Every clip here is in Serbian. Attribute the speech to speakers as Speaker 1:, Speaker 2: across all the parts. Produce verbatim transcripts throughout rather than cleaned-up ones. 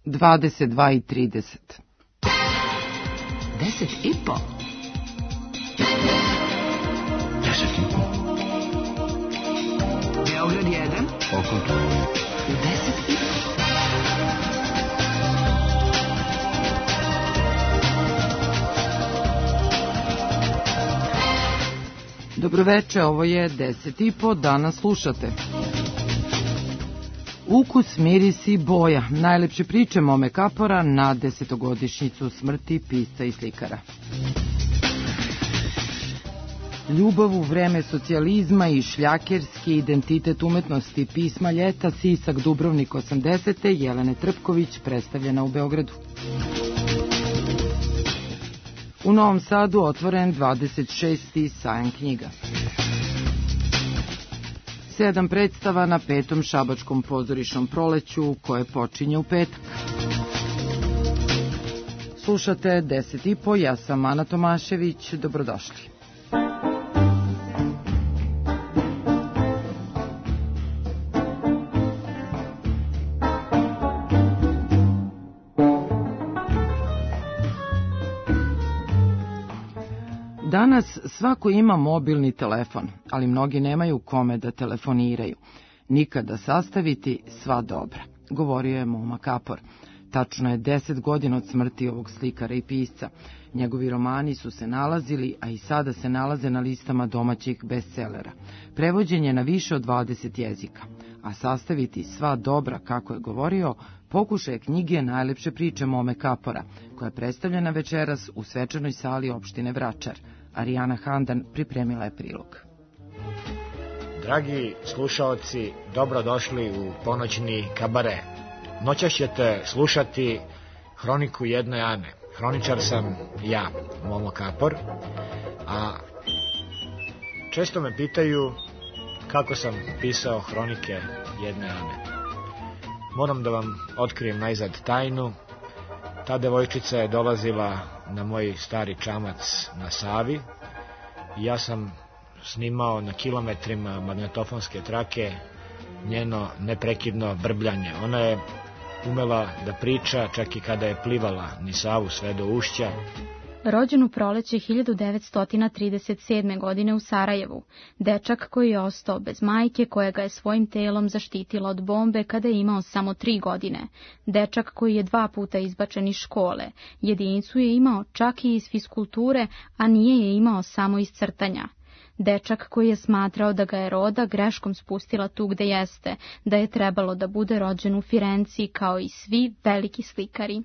Speaker 1: dvadeset dva i trideset.
Speaker 2: Deset i po. Deset i po. Beograd jedan. Oko. Deset i po.
Speaker 1: Dobroveče, ovo je deset i po, danas slušate. Ukus, miris i boja, najlepše priče Mome Kapora na desetogodišnjicu smrti pisca i slikara. Ljubav u vreme socijalizma i šljakerski identitet umetnosti pisma ljeta, Sisak, Dubrovnik osamdesete, Jelene Trpković, predstavljena u Beogradu. U Novom Sadu otvoren dvadeset šesti sajam knjiga. Sedam predstava na petom šabačkom pozorišnom proleću koje počinje u petak. Slušate deset i po, ja sam Ana Tomašević, dobrodošli. Danas svako ima mobilni telefon, ali mnogi nemaju kome da telefoniraju. Nikada sastaviti sva dobra, govorio je Moma Kapor. Tačno je deset godina od smrti ovog slikara i pisca. Njegovi romani su se nalazili, a i sada se nalaze na listama domaćih bestselera. Prevođen je na više od dvadeset jezika, a sastaviti sva dobra, kako je govorio, pokušaj knjige Najlepše priče Mome Kapora, koja je predstavljena večeras u svečanoj sali opštine Vračar. Arijana Handan pripremila je prilog.
Speaker 3: Dragi slušaoci, dobrodošli u ponoćni kabare. Noćas ćete slušati hroniku jedne Ane. Hroničar sam ja, Momo Kapor, a često me pitaju kako sam pisao hronike jedne Ane. Moram da vam otkrijem najzad tajnu. Ta devojčica je dolazila na moj stari čamac na Savi i ja sam snimao na kilometrima magnetofonske trake njeno neprekidno brbljanje. Ona je umela da priča čak i kada je plivala ni Savu sve do ušća.
Speaker 4: Rođen u proleće hiljadu devetsto trideset sedme. godine u Sarajevu, dečak koji je ostao bez majke koja ga je svojim telom zaštitila od bombe kada je imao samo tri godine, dečak koji je dva puta izbačen iz škole, jedinicu je imao čak i iz fiskulture, a nije je imao samo iz crtanja. Dečak koji je smatrao da ga je roda greškom spustila tu gde jeste, da je trebalo da bude rođen u Firenci kao i svi veliki slikari.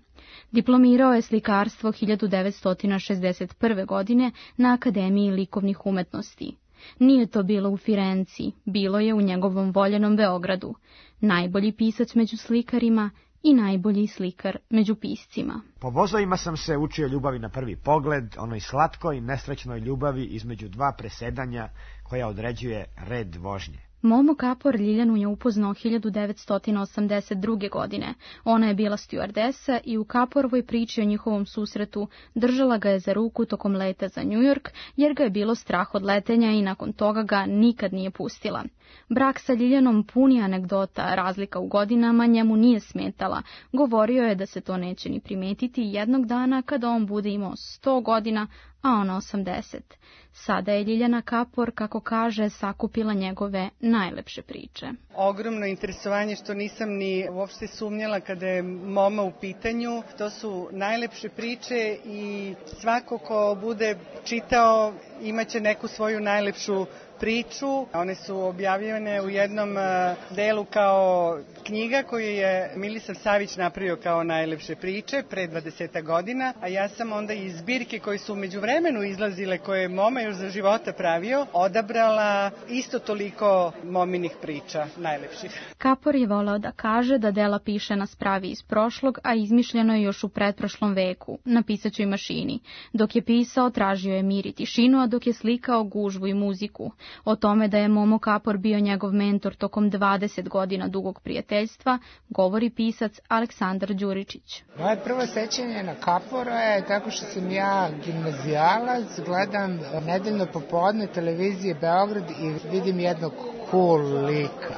Speaker 4: Diplomirao je slikarstvo hiljadu devetsto šezdeset prve. godine na Akademiji likovnih umetnosti. Nije to bilo u Firenci, bilo je u njegovom voljenom Beogradu. Najbolji pisac među slikarima i najbolji slikar među piscima.
Speaker 3: Po vozovima sam se učio ljubavi na prvi pogled, onoj slatkoj, nesrećnoj ljubavi između dva presedanja koja određuje red vožnje.
Speaker 4: Momo Kapor Ljiljanu je upoznao hiljadu devetsto osamdeset druge. godine. Ona je bila stjuardesa i u Kaporovoj priči o njihovom susretu držala ga je za ruku tokom leta za New York, jer ga je bilo strah od letenja i nakon toga ga nikad nije pustila. Brak sa Ljiljanom pun je anegdota, razlika u godinama njemu nije smetala. Govorio je da se to neće ni primetiti jednog dana kada on bude imao sto godina, a ona osamdeset. Sada je Ljiljana Kapor, kako kaže, sakupila njegove najlepše priče.
Speaker 5: Ogromno interesovanje što nisam ni uopšte sumnjala kada je Moma u pitanju. To su najlepše priče i svako ko bude čitao imaće neku svoju najlepšu priču. One su objavljene u jednom delu kao knjiga koju je Milisav Savić napravio kao najlepše priče pre dvadeset godina, a ja sam onda iz zbirke koje su umeđu vremenu izlazile, koje je Moma još za života pravio, odabrala isto toliko Mominih priča, najlepših.
Speaker 4: Kapor je voleo da kaže da dela piše na spravi iz prošlog, a izmišljeno je još u pretprošlom veku, na pisaćoj mašini. Dok je pisao, tražio je mir i tišinu, a dok je slikao, gužvu i muziku. O tome da je Momo Kapor bio njegov mentor tokom dvadeset godina dugog prijateljstva, govori pisac Aleksandar Đuričić.
Speaker 6: Moje prvo sećanje na Kapora je tako što sam ja gimnazijalac, gledam nedeljno popodne televizije Beograd i vidim jednog cool lika.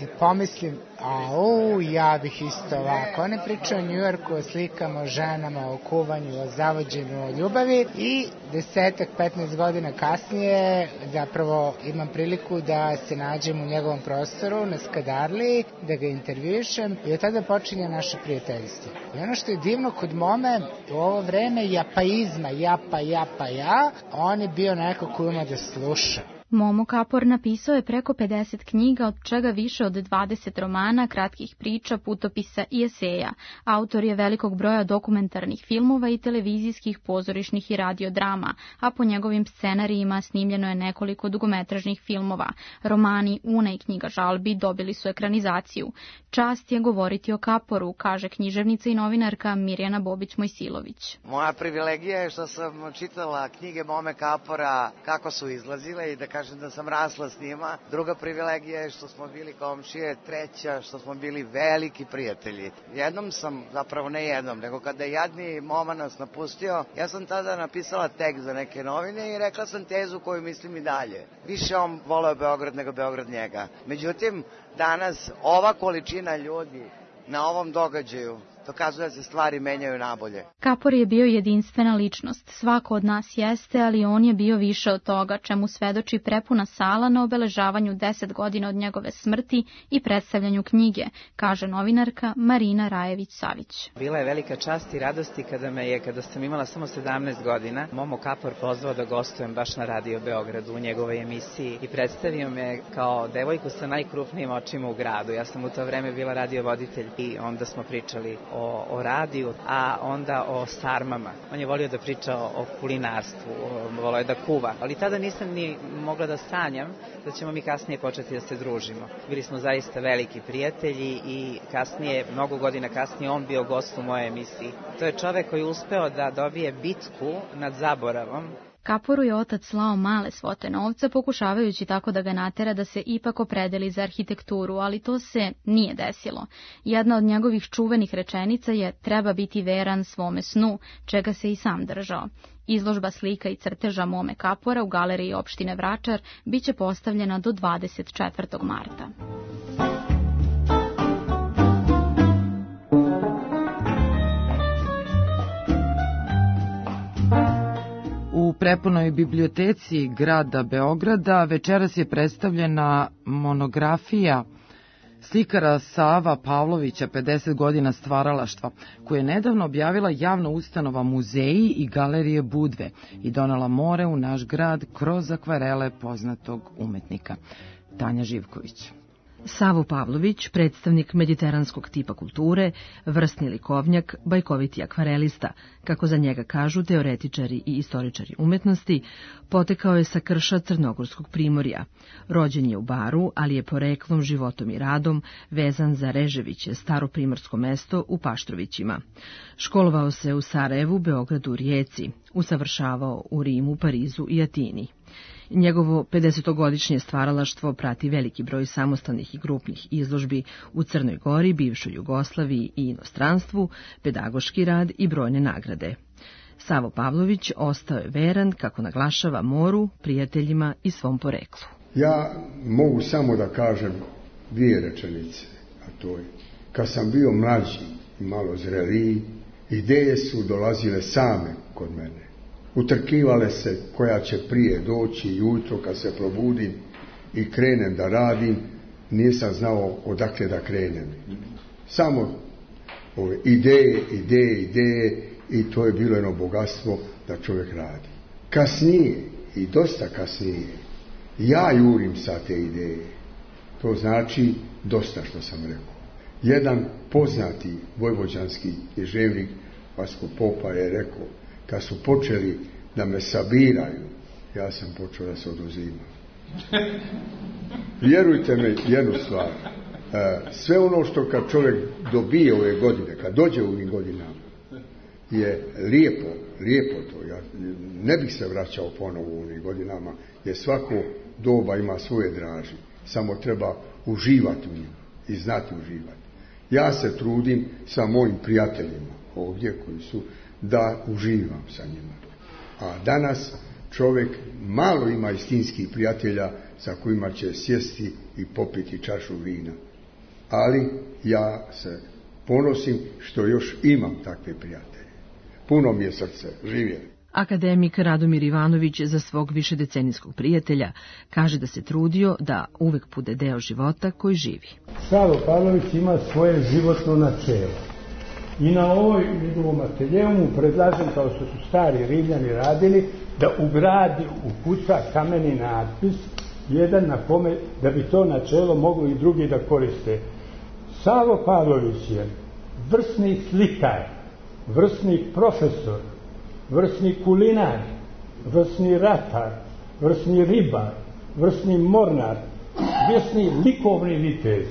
Speaker 6: i pomislim, au, ja bih isto ovako. One pričaju o Njujorku, o slikama, o ženama, o kuvanju, o zavođenju, o ljubavi i desetak, petnaest godina kasnije zapravo imam priliku da se nađem u njegovom prostoru na Skadarliji, da ga intervjušem i od tada počinje naše prijateljstvo. I ono što je divno kod Mome, u ovo vreme japaizma, japa, japa, ja, on je bio neko ko ima da sluša.
Speaker 4: Momo Kapor napisao je preko pedeset knjiga, od čega više od dvadeset romana, kratkih priča, putopisa i eseja. Autor je velikog broja dokumentarnih filmova i televizijskih, pozorišnih i radiodrama, a po njegovim scenarijima snimljeno je nekoliko dugometražnih filmova. Romani Una i knjiga žalbi dobili su ekranizaciju. Čast je govoriti o Kaporu, kaže književnica i novinarka Mirjana Bobić-Mojsilović.
Speaker 7: Moja privilegija je što sam čitala knjige Mome Kapora kako su izlazile i da kažem da sam rasla s njima. Druga privilegija je što smo bili komšije, treća što smo bili veliki prijatelji. Jednom sam, zapravo ne jednom, nego kada je jadni Moma nas napustio, ja sam tada napisala tekst za neke novine i rekla sam tezu koju mislim i dalje. Više on voleo Beograd nego Beograd njega. Međutim, danas ova količina ljudi na ovom događaju dokazuje da se stvari menjaju nabolje.
Speaker 4: Kapor je bio jedinstvena ličnost. Svako od nas jeste, ali on je bio više od toga, čemu svedoči prepuna sala na obeležavanju deset godina od njegove smrti i predstavljanju knjige, kaže novinarka Marina Rajević-Savić.
Speaker 8: Bila je velika čast i radosti kada me je, kada sam imala samo sedamnaest godina, Momo Kapor pozvao da gostujem baš na Radio Beogradu u njegovoj emisiji i predstavio me kao devojku sa najkrupnijim očima u gradu. Ja sam u to vreme bila radiovoditelj i onda smo pričali O, o radiju, a onda o sarmama. On je volio da priča o, o kulinarstvu, o, volio je da kuva. Ali tada nisam ni mogla da sanjam da ćemo mi kasnije početi da se družimo. Bili smo zaista veliki prijatelji i kasnije, mnogo godina kasnije, on bio gost u mojoj emisiji. To je čovek koji je uspeo da dobije bitku nad zaboravom.
Speaker 4: Kaporu je otac slao male svote novca, pokušavajući tako da ga natera da se ipak opredeli za arhitekturu, ali to se nije desilo. Jedna od njegovih čuvenih rečenica je treba biti veran svome snu, čega se i sam držao. Izložba slika i crteža Mome Kapora u galeriji opštine Vračar biće postavljena do dvadeset četvrtog marta.
Speaker 1: U prepunoj biblioteci grada Beograda večeras je predstavljena monografija slikara Sava Pavlovića, pedeset godina stvaralaštva, koju je nedavno objavila javna ustanova Muzeji i galerije Budve i donela more u naš grad kroz akvarele poznatog umetnika. Tanja Živković.
Speaker 9: Savo Pavlović, predstavnik mediteranskog tipa kulture, vrsni likovnjak, bajkoviti akvarelista, kako za njega kažu teoretičari i istoričari umetnosti, potekao je sa krša Crnogorskog primorja. Rođen je u Baru, ali je poreklom, životom i radom vezan za Reževiće, staro primorsko mesto u Paštrovićima. Školovao se u Sarajevu, Beogradu, Rijeci, usavršavao u Rimu, Parizu i Atini. Njegovo pedesetogodišnje stvaralaštvo prati veliki broj samostalnih i grupnih izložbi u Crnoj Gori, bivšoj Jugoslaviji i inostranstvu, pedagoški rad i brojne nagrade. Savo Pavlović ostao je veran, kako naglašava, moru, prijateljima i svom poreklu.
Speaker 10: Ja mogu samo da kažem dvije rečenice, a to je, kad sam bio mlađi i malo zreliji, ideje su dolazile same kod mene. Utrkivale se koja će prije doći i ujutro kad se probudim i krenem da radim, nisam znao odakle da krenem. Samo ove ideje, ideje, ideje i to je bilo jedno bogatstvo da čovjek radi. Kasnije, i dosta kasnije, ja jurim sa te ideje. To znači dosta što sam rekao. Jedan poznati vojvođanski književnik Vasko Popa je rekao, kad su počeli da me sabiraju, ja sam počeo da se oduzimam. Vjerujte me jednu stvar, sve ono što kad čovjek dobije ove godine, kad dođe u ovim godinama, je lijepo, lijepo to. Ja ne bih se vraćao ponovo u ovim godinama, jer svako doba ima svoje draži. Samo treba uživati u njima i znati uživati. Ja se trudim sa mojim prijateljima ovdje koji su, da uživam sa njima. A danas čovjek malo ima istinskih prijatelja sa kojima će sjesti i popiti čašu vina. ali ja se ponosim što još imam takve prijatelje. Puno mi je srce, živjeli.
Speaker 9: Akademik Radomir Ivanović za svog višedecenijskog prijatelja kaže da se trudio da uvek bude deo života koji živi.
Speaker 11: Savo Pavlović ima svoje životno načelo. I na ovoj njegovom ateljeu predlažem, kao što su stari Rimljani radili, da ugradi u kuća kameni natpis, jedan na kome, da bi to načelo mogli i drugi da koriste. Savo Pavlović je vrsni slikar, vrsni profesor, vrsni kulinar, vrsni ratar, vrsni ribar, vrsni mornar, vrsni likovni vitez.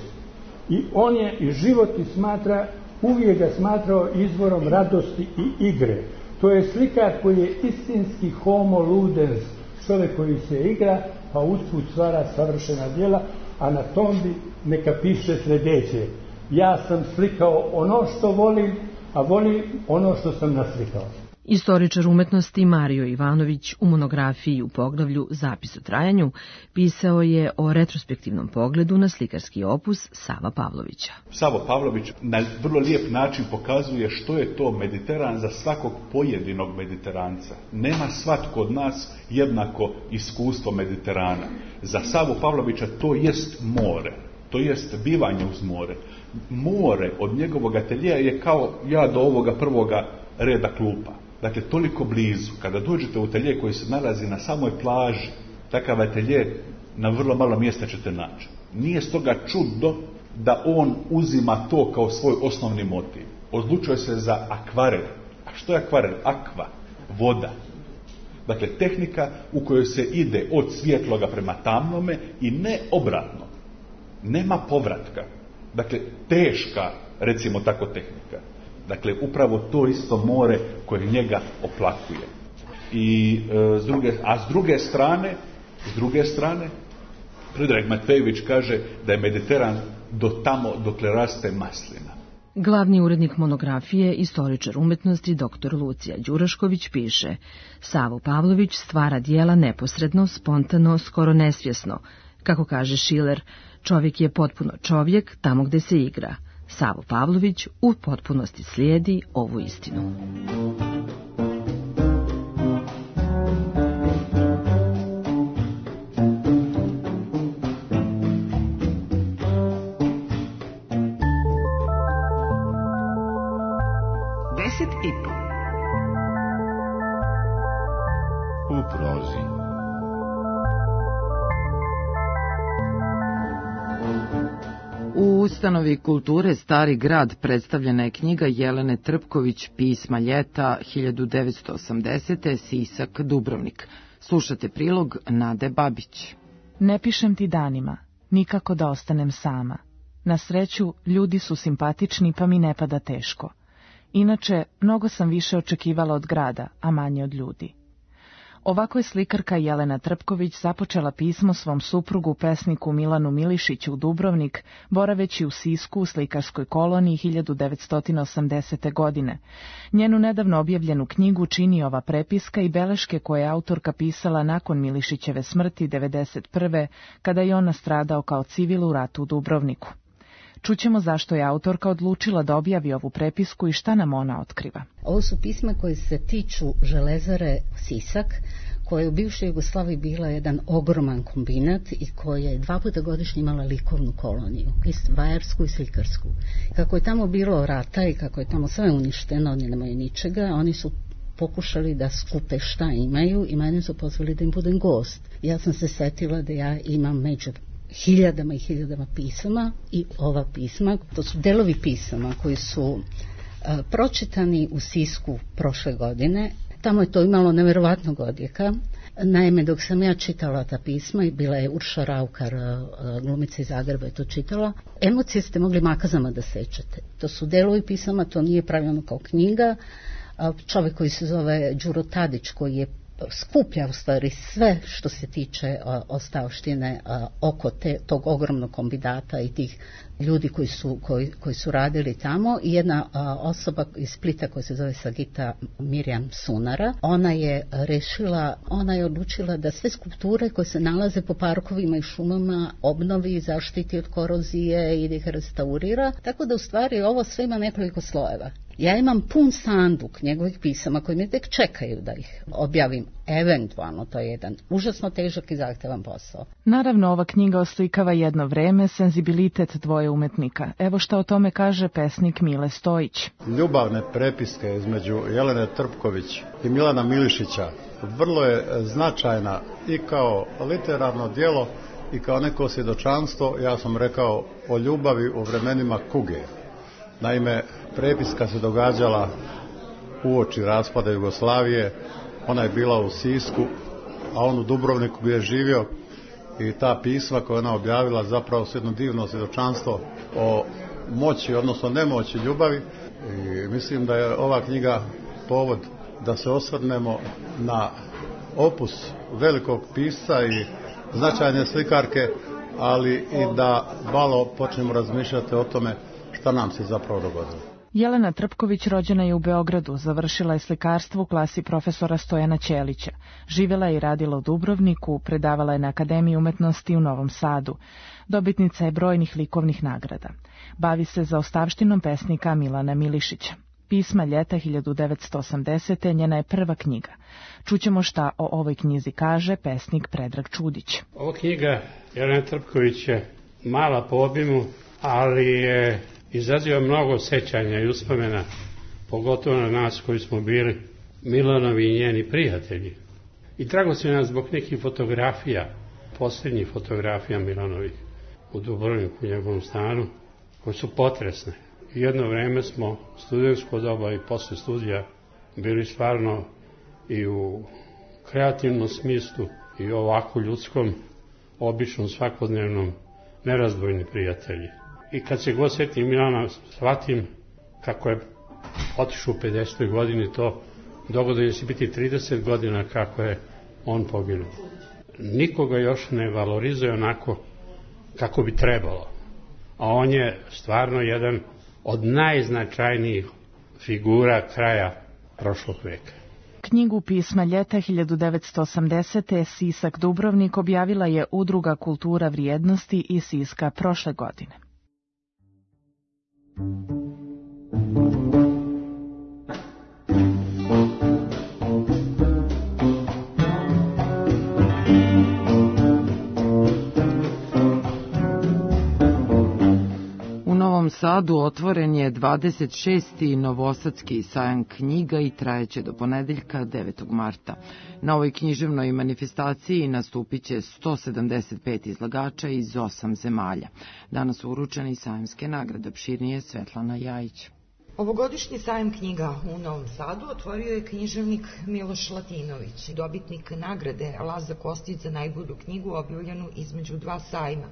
Speaker 11: I on je i život i smatra, uvijek ga smatrao izvorom radosti i igre. To je slikar koji je istinski homo ludens, čovjek koji se igra, pa usput stvara savršena djela, a na tombi neka piše sljedeće: ja sam slikao ono što volim, a volim ono što sam naslikao.
Speaker 9: Istoričar umetnosti Mario Ivanović u monografiji u poglavlju Zapis o trajanju pisao je o retrospektivnom pogledu na slikarski opus Sava Pavlovića.
Speaker 12: Savo Pavlović na vrlo lijep način pokazuje što je to Mediteran za svakog pojedinog Mediteranca. Nema svatko od nas jednako iskustvo Mediterana. Za Savu Pavlovića to jest more, to jest bivanje uz more. More od njegovog ateljeja je kao ja do ovoga prvoga reda klupa. Dakle, toliko blizu. Kada dođete u atelje koji se nalazi na samoj plaži, takav atelje na vrlo malo mjesta ćete naći. Nije stoga čudno da on uzima to kao svoj osnovni motiv. Odlučuje se za akvarel. A što je akvarel? Akva, voda. Dakle, tehnika u kojoj se ide od svjetloga prema tamnome i ne obratno. Nema povratka. Dakle, teška, recimo tako, tehnika. Dakle, upravo to isto more koje njega oplakuje. I, e, s druge, a s druge strane, s druge strane, Predrag Matvejević kaže da je Mediteran do tamo dokle raste maslina.
Speaker 9: Glavni urednik monografije, istoričar umetnosti doktor Lucija Đurašković piše: Savo Pavlović stvara djela neposredno, spontano, skoro nesvjesno. Kako kaže Šiler, čovjek je potpuno čovjek tamo gde se igra. Savo Pavlović u potpunosti slijedi ovu istinu.
Speaker 2: Deset i po. U prozi.
Speaker 1: U ustanovi kulture Stari grad predstavljena je knjiga Jelene Trpković Pisma ljeta hiljadu devetsto osamdesete. Sisak, Dubrovnik. Slušate prilog Nade Babić.
Speaker 13: Ne pišem ti danima, nikako da ostanem sama. Na sreću, ljudi su simpatični pa mi ne pada teško. Inače, mnogo sam više očekivala od grada, a manje od ljudi. Ovako je slikarka Jelena Trpković započela pismo svom suprugu, pesniku Milanu Milišiću u Dubrovnik, boraveći u Sisku u slikarskoj koloniji hiljadu devetsto osamdesete. godine. Njenu nedavno objavljenu knjigu čini ova prepiska i beleške koje je autorka pisala nakon Milišićeve smrti devedeset prve. kada je on nastradao kao civil u ratu u Dubrovniku. Čućemo zašto je autorka odlučila da objavi ovu prepisku i šta nam ona otkriva.
Speaker 14: Ovo su pisma koje se tiču železare Sisak, koja je u bivšoj Jugoslaviji bila jedan ogroman kombinat i koja je dva puta godišnje imala likovnu koloniju, i vajarsku i slikarsku. Kako je tamo bilo rata i kako je tamo sve uništeno, oni nemaju ničega, oni su pokušali da skupe šta imaju i mene su pozvali da im budem gost. Ja sam se setila da ja imam među hiljadama i hiljadama pisama i ova pisma, to su delovi pisama koji su uh, pročitani u Sisku prošle godine. Tamo je to imalo neverovatnog odjeka. Naime, dok sam ja čitala ta pisma, i bila je Urša Raukar, uh, glumica iz Zagreba, je to čitala, emocije ste mogli makazama da sećate. To su delovi pisama, to nije pravljeno kao knjiga. Uh, čovjek koji se zove Đuro Tadić, koji je skuplja u stvari sve što se tiče ostavštine oko te, tog ogromnog kombinata i tih ljudi koji su, koji, koji su radili tamo, i jedna a, osoba iz Splita koja se zove Sagita Mirjam Sunara, ona je rešila, ona je odlučila da sve skulpture koje se nalaze po parkovima i šumama obnovi, zaštiti od korozije i da ih restaurira, tako da u stvari ovo sve ima nekoliko slojeva. Ja imam pun sanduk njegovih pisama koji me tek čekaju da ih objavim. Eventualno, to je jedan užasno težak i zahtevan posao.
Speaker 13: Naravno, ova knjiga oslikava jedno vreme, senzibilitet dvoje umetnika. Evo šta o tome kaže pesnik Mile Stojić.
Speaker 15: Ljubavne prepiske između Jelene Trpković i Milana Milišića vrlo je značajna i kao literarno djelo i kao neko svjedočanstvo, ja sam rekao, o ljubavi u vremenima kuge. Naime, prepiska se događala uoči raspada Jugoslavije, ona je bila u Sisku, a on u Dubrovniku gdje je živio, i ta pisma koja ona objavila zapravo su jedno divno svjedočanstvo o moći, odnosno nemoći ljubavi, i mislim da je ova knjiga povod da se osvrnemo na opus velikog pisca i značajne slikarke, ali i da malo počnemo razmišljati o tome šta nam se zapravo dogodilo.
Speaker 13: Jelena Trpković rođena je u Beogradu, završila je slikarstvo u klasi profesora Stojana Ćelića. Živjela je i radila u Dubrovniku, predavala je na Akademiji umetnosti u Novom Sadu. Dobitnica je brojnih likovnih nagrada. Bavi se zaostavštinom pesnika Milana Milišića. Pisma ljeta hiljadu devetsto osamdesete. njena je prva knjiga. Čućemo šta o ovoj knjizi kaže pesnik Predrag Čudić.
Speaker 11: Ova knjiga Jelena Trpković je mala po obimu, ali je izaziva mnogo sećanja i uspomena, pogotovo na nas koji smo bili Milanovi i njeni prijatelji. I dragocjena zbog nekih fotografija, posljednjih fotografija Milanovih u Dubrovniku, u njegovom stanu, koje su potresne. I jedno vreme smo studentsko doba i posle studija bili stvarno i u kreativnom smislu i ovako ljudskom, običnom, svakodnevnom, nerazdvojni prijatelji. I kad se god sjetim Milana, shvatim kako je otišao u pedesetoj godini, to dogodilo se biti trideset godina kako je on poginuo. Nikoga još ne valorizuje onako kako bi trebalo. A on je stvarno jedan od najznačajnijih figura kraja prošlog veka.
Speaker 13: Knjigu Pisma ljeta hiljadu devetsto osamdesete. Sisak Dubrovnik objavila je Udruga Kultura vrijednosti iz Siska prošle godine.
Speaker 1: U Novom Sadu otvoren je dvadeset šesti Novosadski sajam knjiga i trajeće do ponedeljka devetog marta. Na ovoj književnoj manifestaciji nastupit će sto sedamdeset pet izlagača iz osam zemalja. Danas su uručeni sajamske nagrade, opširnije Svetlana Jajić.
Speaker 16: Ovogodišnji sajam knjiga u Novom Sadu otvorio je književnik Miloš Latinović, dobitnik nagrade Laza Kostić za najbolju knjigu objavljenu između dva sajma.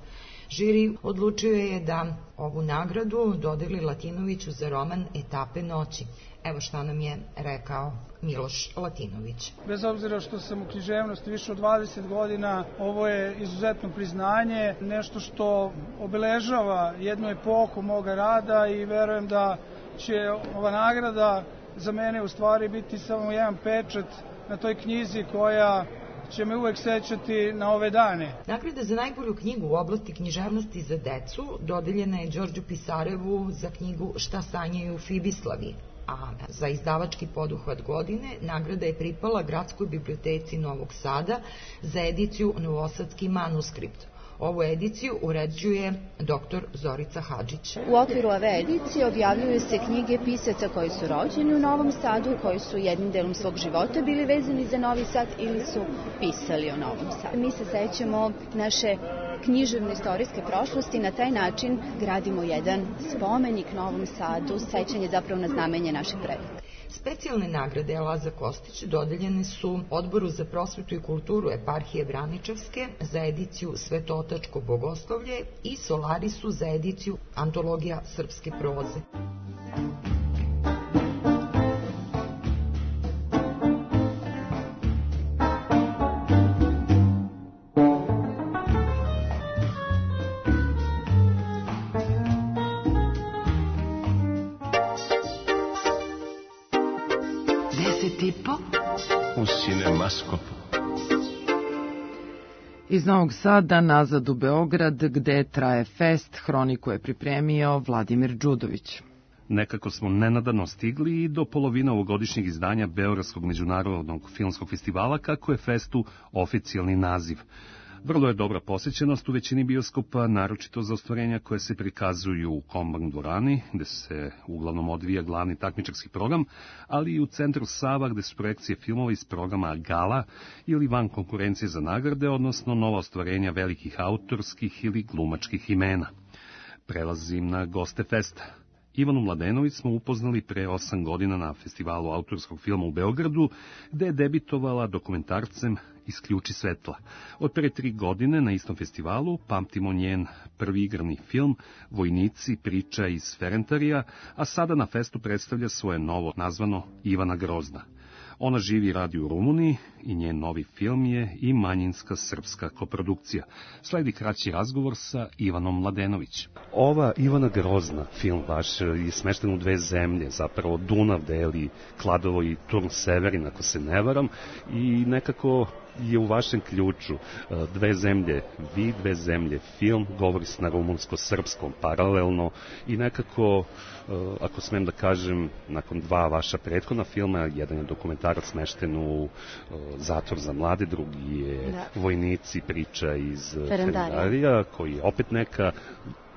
Speaker 16: Žiri odlučio je da ovu nagradu dodeli Latinoviću za roman Etape noći. Evo šta nam je rekao Miloš Latinović.
Speaker 17: Bez obzira što sam u književnosti više od dvadeset godina, ovo je izuzetno priznanje, nešto što obeležava jednu epohu moga rada i verujem da će ova nagrada za mene u stvari biti samo jedan pečat na toj knjizi koja će me uvek sećati na ove dane.
Speaker 16: Nagrada za najbolju knjigu u oblasti književnosti za decu dodeljena je Đorđu Pisarevu za knjigu Šta sanjaju Fibislavi, a za izdavački poduhvat godine nagrada je pripala Gradskoj biblioteci Novog Sada za ediciju Novosadski manuskript. Ovu ediciju uređuje doktor Zorica Hadžić.
Speaker 18: U okviru ove edicije objavljuju se knjige pisaca koji su rođeni u Novom Sadu, koji su jednim delom svog života bili vezani za Novi Sad ili su pisali o Novom Sadu. Mi se sećamo naše književne istorijske prošlosti, na taj način gradimo jedan spomenik Novom Sadu, sećanje zapravo na znamenje naših predaka.
Speaker 16: Specijalne nagrade Laza Kostić dodeljene su Odboru za prosvetu i kulturu eparhije Braničevske za ediciju Svetotačko bogoslovlje i Solarisu za ediciju Antologija srpske proze.
Speaker 1: Deset i po
Speaker 2: u Cinemaskopu.
Speaker 1: Iz Novog Sada nazad u Beograd, gde traje fest, hroniku je pripremio Vladimir Đudović.
Speaker 19: Nekako smo nenadano stigli i do polovina ovogodišnjeg izdanja Beogradskog međunarodnog filmskog festivala, kako je festu oficijalni naziv. Vrlo je dobra posjećenost u većini bioskopa, naročito za ostvarenja koje se prikazuju u Kombank dvorani, gde se uglavnom odvija glavni takmičarski program, ali i u centru Sava, gde su projekcije filmova iz programa Gala ili van konkurencije za nagrade, odnosno nova ostvarenja velikih autorskih ili glumačkih imena. Prelazim na goste festa. Ivanu Mladenović smo upoznali pre osam godina na festivalu autorskog filma u Beogradu, gde je debitovala dokumentarcem Isključi svetla. Od pre tri godine na istom festivalu pamtimo njen prvi igrani film Vojnici, priča iz Ferentarija, a sada na festu predstavlja svoje novo nazvano Ivana Grozna. Ona živi i radi u Rumuniji i njen novi film je i manjinska srpska koprodukcija. Sledi kraći razgovor sa Ivanom Mladenović. Ova Ivana Grozna, film vaš, je smešten u dve zemlje, zapravo Dunav deli Kladovo i Turn Severin, ako se ne varam, i nekako je u vašem ključu dve zemlje, vi dve zemlje, film, govori se na rumunsko-srpskom paralelno i nekako, ako smem da kažem, nakon dva vaša prethodna filma, jedan je dokumentarac smešten u Zatvor za mlade, drugi je da. Vojnici, priča iz Ferendarija, koji je opet neka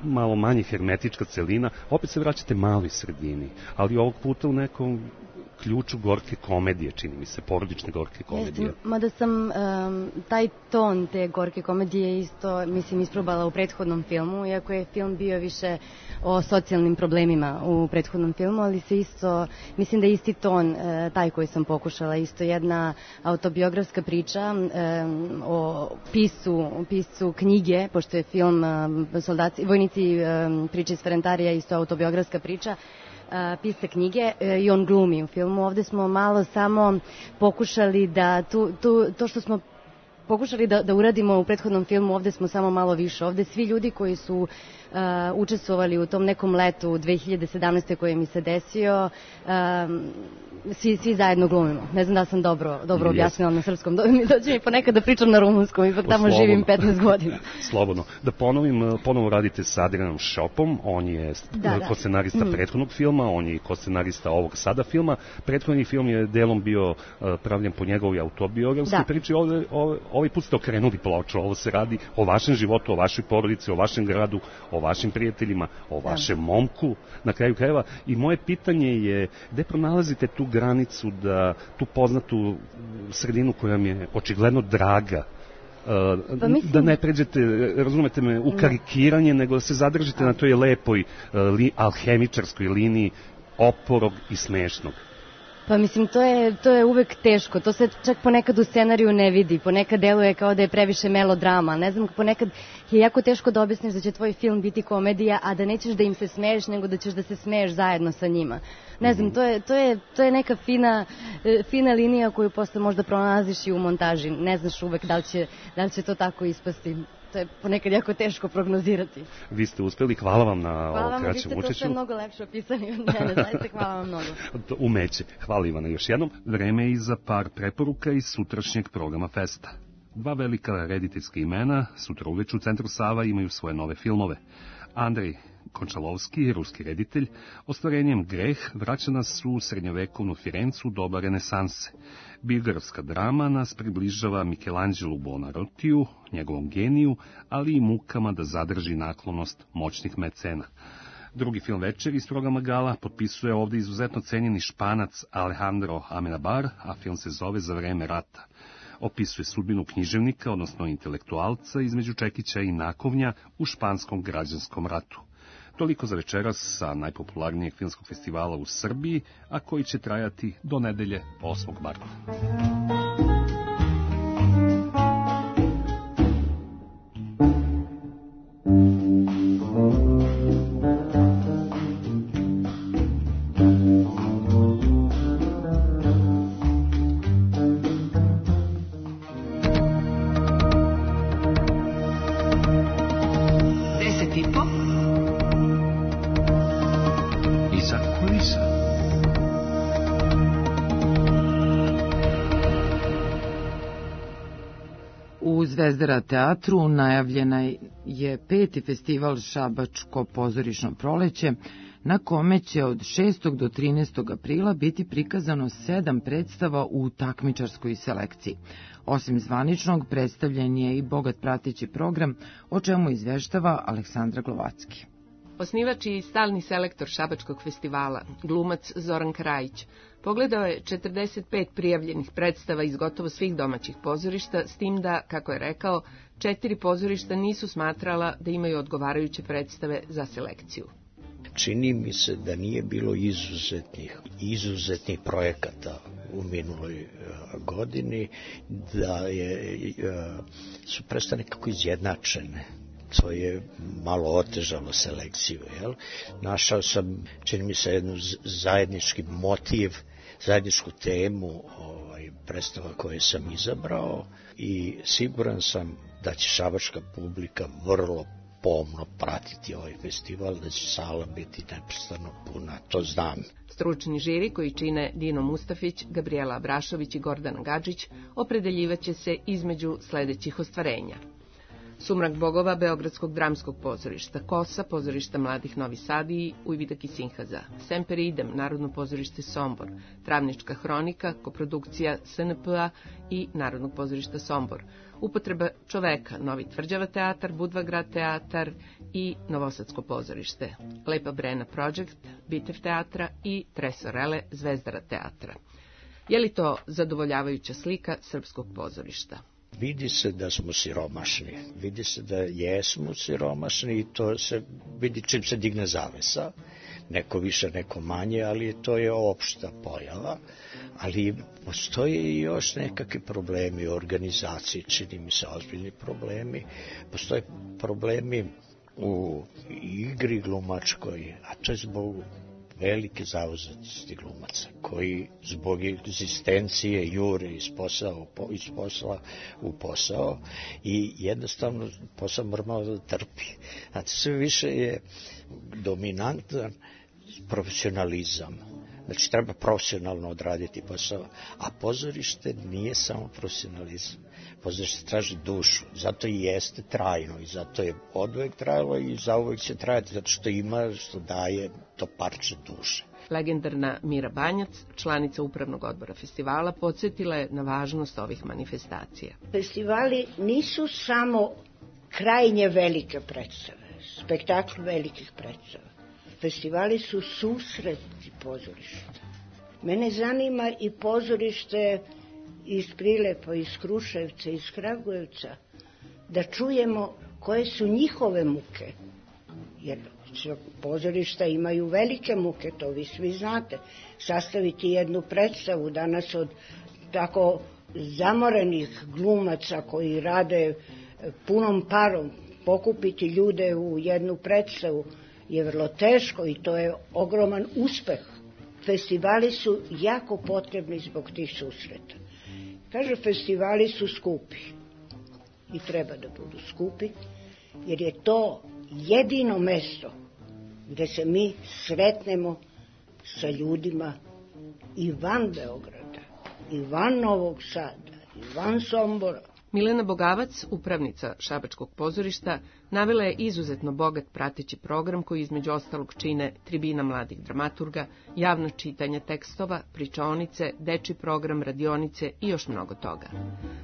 Speaker 19: malo manje hermetička celina, opet se vraćate maloj sredini, ali ovog puta u nekom ključu gorke komedije, čini mi se, porodične gorke komedije.
Speaker 20: Jeste, mada sam um, taj ton te gorke komedije isto, mislim, isprobala u prethodnom filmu, iako je film bio više o socijalnim problemima u prethodnom filmu, ali se isto, mislim da je isti ton uh, taj koji sam pokušala, isto jedna autobiografska priča um, o piscu, piscu knjige, pošto je film um, Soldaci, Vojnici, um, priče iz Ferentarija, isto autobiografska priča, Uh, pisa knjige uh, i on glumi u filmu. Ovde smo malo samo pokušali da tu, tu, to što smo pokušali da, da uradimo u prethodnom filmu, ovde smo samo malo više. Ovde svi ljudi koji su uh, učestvovali u tom nekom letu dve hiljade sedamnaeste koje mi se desio, uh, svi, svi zajedno glumimo. Ne znam da sam dobro, dobro objasnila na srpskom. Dođe mi ponekad da pričam na rumunskom, ipak tamo Slobodno. Živim petnaest godina.
Speaker 19: Slobodno. Da ponovim, ponovo radite sa Adrianom Šopom, on je da, da. ko-scenarista mm. prethodnog filma, on je i ko-scenarista ovog sada filma. Prethodni film je delom bio uh, pravljen po njegovoj autobiografskoj priči. Ove, ove, ovaj put ste okrenuli ploču, ovo se radi o vašem životu, o vašoj porodici, o vašem gradu, o vašim prijateljima, o vašem momku, na kraju krajeva. I moje pitanje je, gde pronalazite tu granicu, da tu poznatu sredinu koja mi je očigledno draga, Uh, pa mislim... da ne pređete, razumete me, u karikiranje, nego da se zadržite na toj lepoj uh, li, alhemičarskoj liniji oporog i smešnog.
Speaker 20: Pa mislim, to je, to je uvek teško, to se čak ponekad u scenariju ne vidi, ponekad deluje kao da je previše melodrama, ne znam, ponekad je jako teško da objasniš da će tvoj film biti komedija, a da nećeš da im se smeješ, nego da ćeš da se smeješ zajedno sa njima. Ne znam, to je, to je, to je neka fina, fina linija koju posle možda pronalaziš i u montaži, ne znaš uvek da li će, da li će to tako ispasti. To je ponekad jako teško prognozirati.
Speaker 19: Vi ste uspeli, hvala vam na ovo kraćem učešću.
Speaker 20: Hvala vam, vi ste to sve mnogo lepše opisani od mene, zaista hvala vam mnogo.
Speaker 19: Umeće. Hvala Ivana još jednom. Vreme je i za par preporuka iz sutrašnjeg programa Festa. Dva velika rediteljska imena, sutra uveče u Centru Sava, imaju svoje nove filmove. Andrej Končalovski, ruski reditelj, ostvarenjem Greh vraća nas u srednjovekovnu Firencu doba renesanse. Biografska drama nas približava Michelangelu Buonarrotiju, njegovom geniju, ali i mukama da zadrži naklonost moćnih mecena. Drugi film večer iz programa Gala potpisuje ovde izuzetno cenjeni Španac Alejandro Amenabar, a film se zove Za vreme rata. Opisuje sudbinu književnika, odnosno intelektualca između Čekića i Nakovnja u španskom građanskom ratu. Toliko za večeras sa najpopularnijeg filmskog festivala u Srbiji, a koji će trajati do nedelje osmog marta.
Speaker 1: Zvezdara teatru najavljena je peti festival Šabačko pozorišno proleće, na kome će od šestog do trinaestog aprila biti prikazano sedam predstava u takmičarskoj selekciji. Osim zvaničnog, predstavljen je i bogat prateći program, o čemu izveštava Aleksandra Glovacki.
Speaker 21: Osnivač i stalni selektor Šabačkog festivala, glumac Zoran Krajić, pogledao je četrdeset pet prijavljenih predstava iz gotovo svih domaćih pozorišta, s tim da, kako je rekao, četiri pozorišta nisu smatrala da imaju odgovarajuće predstave za selekciju.
Speaker 22: Čini mi se da nije bilo izuzetnih, izuzetnih projekata u minuloj godini, da je, su predstave nekako izjednačene. To je malo otežalo selekciju. Jel? Našao sam, čini mi se, jednu zajednički motiv, zajedničku temu ovaj, predstava koje sam izabrao i siguran sam da će šabačka publika vrlo pomno pratiti ovaj festival, da će sala biti neprestano puna, to znam.
Speaker 21: Stručni žiri koji čine Dino Mustafić, Gabriela Abrašović i Gordana Gadžić opredeljivaće se između sledećih ostvarenja. Sumrak bogova Beogradskog dramskog pozorišta, Kosa, pozorišta mladih Novi Sad i Ujvidak i Sinhaza, Semper idem, Narodno pozorište Sombor, Travnička hronika, koprodukcija S N P A i Narodnog pozorišta Sombor, Upotreba čoveka, Novi Tvrđava teatar, Budva grad teatar i Novosadsko pozorište, Lepa Brena Project, Bitev teatra i Tresorele, Zvezdara teatra. Je li to zadovoljavajuća slika srpskog pozorišta?
Speaker 22: Vidi se da smo siromašni, vidi se da jesmo siromašni i to se vidi čim se digne zavesa, neko više, neko manje, ali to je opšta pojava, ali postoje i još nekakvi problemi u organizaciji, čini mi se ozbiljni problemi, postoje problemi u igri glumačkoj, a to je zbog velike zauzetosti glumaca, koji zbog egzistencije jure iz posao, iz posla u posao i jednostavno posao mora malo da trpi. Znači, sve više je dominantan profesionalizam. Znači, treba profesionalno odraditi posao, a pozorište nije samo profesionalizam. Pozorište traži dušu, zato i jeste trajno i zato je oduvek trajalo i zauvek će trajati, zato što ima, što daje to parče duše.
Speaker 21: Legendarna Mira Banjac, članica upravnog odbora festivala, podsjetila je na važnost ovih manifestacija.
Speaker 23: Festivali nisu samo krajnje velike predstave, spektakl velikih predstava. Festivali su susreti pozorišta. Mene zanima i pozorište iz Prilepa, iz Kruševca, iz Kragujevca, da čujemo koje su njihove muke. Jer pozorišta imaju velike muke, to vi svi znate. Sastaviti jednu predstavu danas od tako zamorenih glumaca koji rade punom parom, pokupiti ljude u jednu predstavu je vrlo teško i to je ogroman uspeh. Festivali su jako potrebni zbog tih susreta. Kaže, festivali su skupi i treba da budu skupi, jer je to jedino mesto gde se mi sretnemo sa ljudima i van Beograda, i van Novog Sada, i van Sombora.
Speaker 21: Milena Bogavac, upravnica Šabačkog pozorišta, navela je izuzetno bogat prateći program koji između ostalog čine tribina mladih dramaturga, javno čitanje tekstova, pričaonice, dečji program, radionice i još mnogo toga.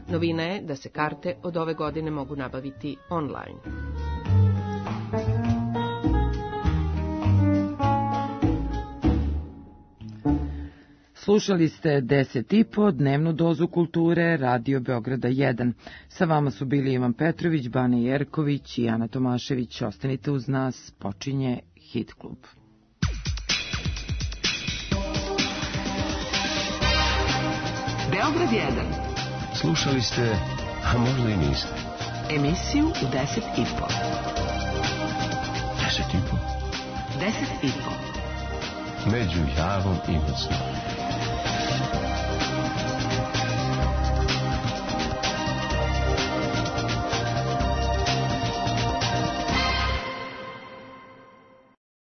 Speaker 21: Novina je da se karte od ove godine mogu nabaviti online.
Speaker 1: Slušali ste deset i po, dnevnu dozu kulture, Radio Beograda jedan. Sa vama su bili Ivan Petrović, Bane Jerković i Ana Tomašević. Ostanite uz nas, počinje Hit klub.
Speaker 2: Beograd jedan. Slušali ste, a možda i niste. Emisiju u deset i po. Deset i po? Deset i po. Među Javom i Mocnom.